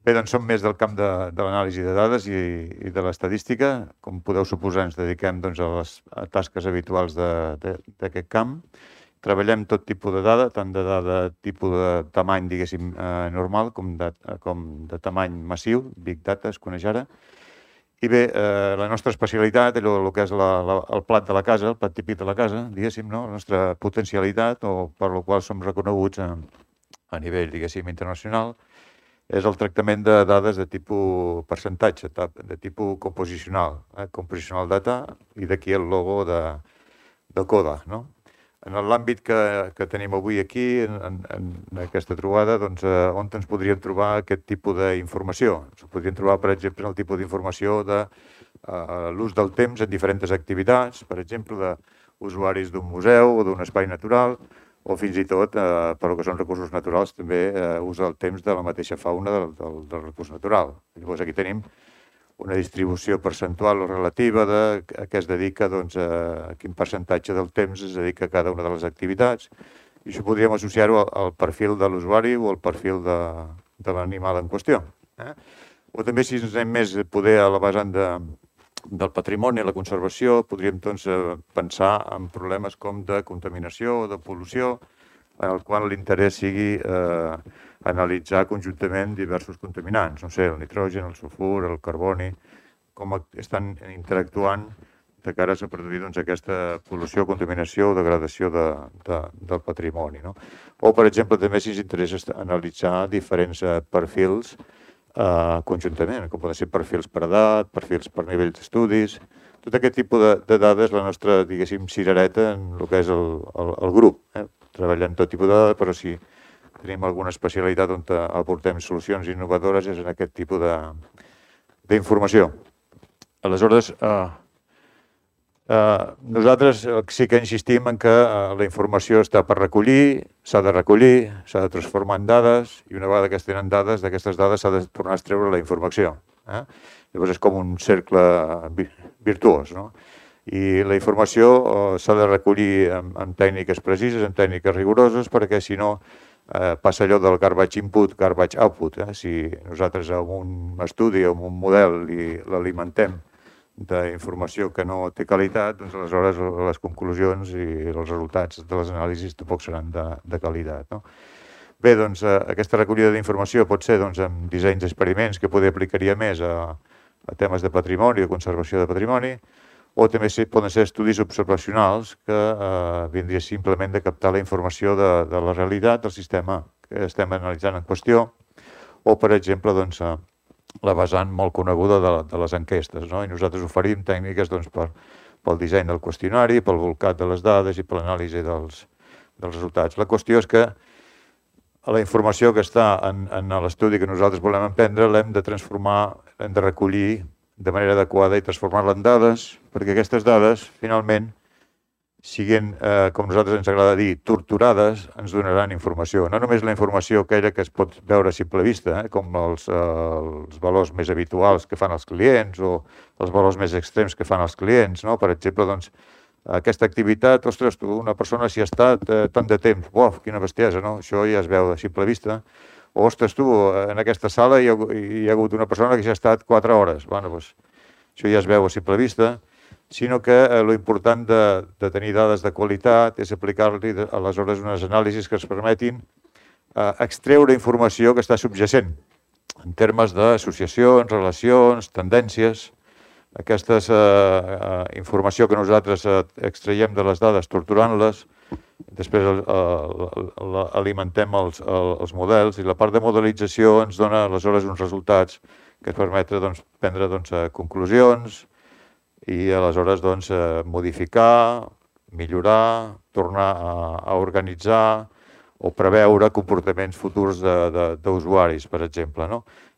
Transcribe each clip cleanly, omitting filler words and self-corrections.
Bé, doncs som més del camp de l'anàlisi de dades i de l'estadística. Com podeu suposar, ens dediquem a les tasques habituals d'aquest camp. Treballem tot tipus de dada, tant de dada tipus de tamany, diguéssim, normal, com de tamany massiu, Big Data, es coneix ara. I bé, la nostra especialitat, el que és el plat de la casa, el plat típic de la casa, diguéssim, la nostra potencialitat, o per la qual som reconeguts a nivell, diguéssim, internacional, és el tractament de dades de tipus percentatge, de tipus composicional, compositional data, i d'aquí el logo de CODA, no? En l'àmbit que tenim avui aquí, en aquesta trobada, doncs, on ens podríem trobar aquest tipus d'informació? Ens podríem trobar, per exemple, el tipus d'informació de l'ús del temps en diferents activitats, per exemple, d'usuaris d'un museu o d'un espai natural, o fins i tot, per que són recursos naturals, també usa el temps de la mateixa fauna del recurs natural. Llavors, aquí tenim una distribució percentual o relativa de a què es dedica, doncs, a quin percentatge del temps es dedica a cada una de les activitats. I això podríem associar-ho al perfil de l'usuari o al perfil de l'animal en qüestió. O també, si ens anem més poder a la vessant del patrimoni, la conservació, podríem doncs, pensar en problemes com de contaminació o de pol·lució, en el qual l'interès sigui analitzar conjuntament diversos contaminants, no sé, el nitrogen, el sulfur, el carboni, com estan interactuant de cara a produir aquesta pol·lució, contaminació o degradació del patrimoni. O, per exemple, també si ens interessa analitzar diferents perfils conjuntament, com poden ser perfils per edat, perfils per nivell d'estudis. Tot aquest tipus de dades, la nostra, diguéssim, cirereta en el que és el grup. Treballem tot tipus de dades, però si tenim alguna especialitat on aportem solucions innovadores és en aquest tipus d'informació. Aleshores, nosaltres sí que insistim en que la informació està per recollir, s'ha de recollir, s'ha de transformar en dades, i una vegada que es tenen dades, d'aquestes dades s'ha de tornar a extreure la informació. Llavors és com un cercle virtuós, no? I la informació s'ha de recollir amb tècniques precises, amb tècniques rigoroses, perquè si no passa allò del garbage input, garbage output. Si nosaltres amb un estudi o amb un model l'alimentem d'informació que no té qualitat, doncs aleshores les conclusions i els resultats de les anàlisis tampoc seran de qualitat. Bé, doncs aquesta recollida d'informació pot ser amb dissenys d'experiments que poder aplicaria més a temes de patrimoni, de conservació de patrimoni, o també poden ser estudis observacionals que vindria simplement de captar la informació de la realitat del sistema que estem analitzant en qüestió, o, per exemple, la vessant molt coneguda de les enquestes. I nosaltres oferim tècniques pel disseny del qüestionari, pel volcat de les dades i per l'anàlisi dels resultats. La qüestió és que la informació que està en l'estudi que nosaltres volem emprendre l'hem de transformar, l'hem de recollir de manera adequada i transformar-la en dades, perquè aquestes dades, finalment, siguin, com a nosaltres ens agrada dir, torturades, ens donaran informació. No només la informació aquella que es pot veure a simple vista, com els valors més habituals que fan els clients o els valors més extrems que fan els clients. Per exemple, aquesta activitat, ostres, tu, una persona s'hi ha estat tant de temps, uaf, quina bestiesa, no? Això ja es veu a simple vista. O, ostres, tu, en aquesta sala hi ha hagut una persona que s'hi ha estat 4 hores. Bueno, doncs, això ja es veu a simple vista, sinó que l'important de tenir dades de qualitat és aplicar-li aleshores unes anàlisis que ens permetin extreure informació que està subjacent en termes d'associacions, relacions, tendències. Aquesta informació que nosaltres extraiem de les dades torturant-les, després alimentem els models i la part de modelització ens dona aleshores uns resultats que ens permeten prendre conclusions i aleshores modificar, millorar, tornar a organitzar o preveure comportaments futurs d'usuaris, per exemple.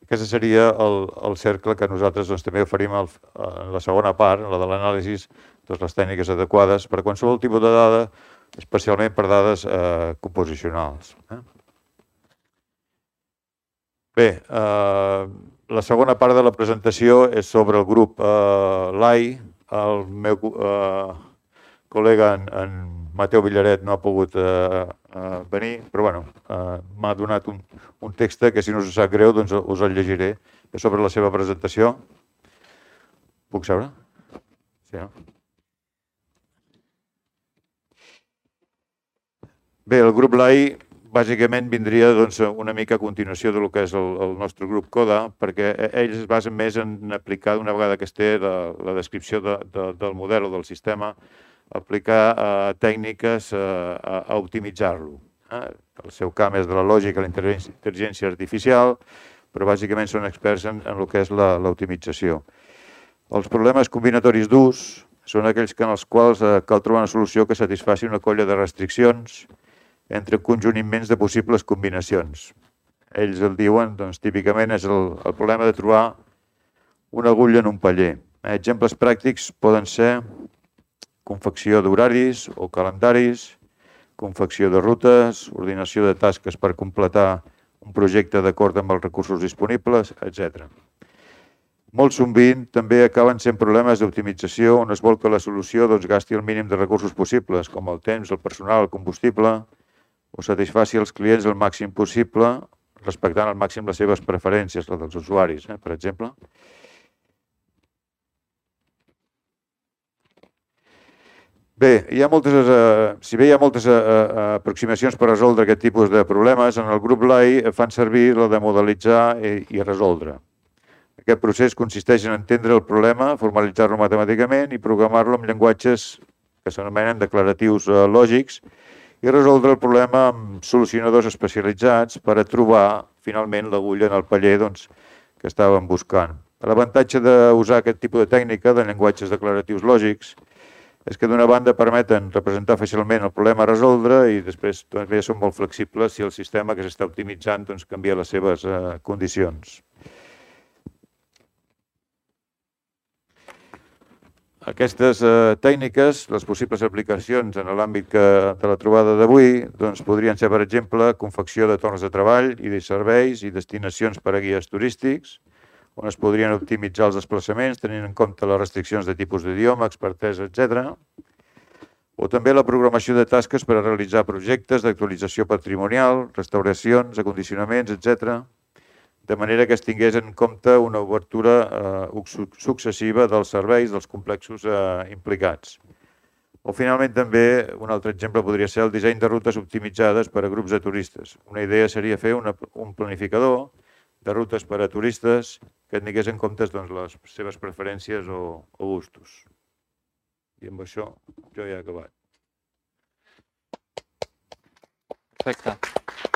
Aquest seria el cercle que nosaltres també oferim en la segona part, la de l'anàlisi, les tècniques adequades per a qualsevol tipus de dada, especialment per dades composicionals. Bé, la segona part de la presentació és sobre el grup LAI. El meu col·lega, en Mateu Villaret, no ha pogut venir, però m'ha donat un text que, si no us sap greu, doncs us el llegiré. Sobre la seva presentació. Puc seure? Sí, no? Bé, el grup LAI bàsicament vindria una mica a continuació del que és el nostre grup CODA, perquè ells es basen més en aplicar, una vegada que es té la descripció del model o del sistema, aplicar tècniques a optimitzar-lo. El seu camp és de la lògica, la intel·ligència artificial, però bàsicament són experts en el que és l'optimització. Els problemes combinatoris d'ús són aquells en els quals cal trobar una solució que satisfaci una colla de restriccions entre un conjunt immens de possibles combinacions. Ells el diuen, doncs, típicament és el problema de trobar una agulla en un paller. Exemples pràctics poden ser confecció d'horaris o calendaris, confecció de rutes, ordinació de tasques per completar un projecte d'acord amb els recursos disponibles, etc. Molt sovint també acaben sent problemes d'optimització on es vol que la solució gasti el mínim de recursos possibles, com el temps, el personal, el combustible, o satisfaci els clients el màxim possible, respectant al màxim les seves preferències, les dels usuaris, per exemple. Bé, si bé hi ha moltes aproximacions per resoldre aquest tipus de problemes, en el grup LAI fan servir la de modelitzar i resoldre. Aquest procés consisteix en entendre el problema, formalitzar-lo matemàticament i programar-lo amb llenguatges que s'anomenen declaratius lògics i resoldre el problema amb solucionadors especialitzats per a trobar finalment l'agulla en el paller que estàvem buscant. L'avantatge d'usar aquest tipus de tècnica de llenguatges declaratius lògics és que d'una banda permeten representar fàcilment el problema a resoldre i després també són molt flexibles si el sistema que s'està optimitzant canvia les seves condicions. Aquestes tècniques, les possibles aplicacions en l'àmbit de la trobada d'avui, podrien ser, per exemple, confecció de torns de treball i de serveis i destinacions per a guies turístics, on es podrien optimitzar els desplaçaments tenint en compte les restriccions de tipus d'idioma, expertesa, etc. O també la programació de tasques per a realitzar projectes d'actualització patrimonial, restauracions, acondicionaments, etc., de manera que es tingués en compte una obertura successiva dels serveis dels complexos implicats. O finalment també un altre exemple podria ser el disseny de rutes optimitzades per a grups de turistes. Una idea seria fer un planificador de rutes per a turistes que tingués en compte les seves preferències o gustos. I amb això jo ja he acabat. Perfecte.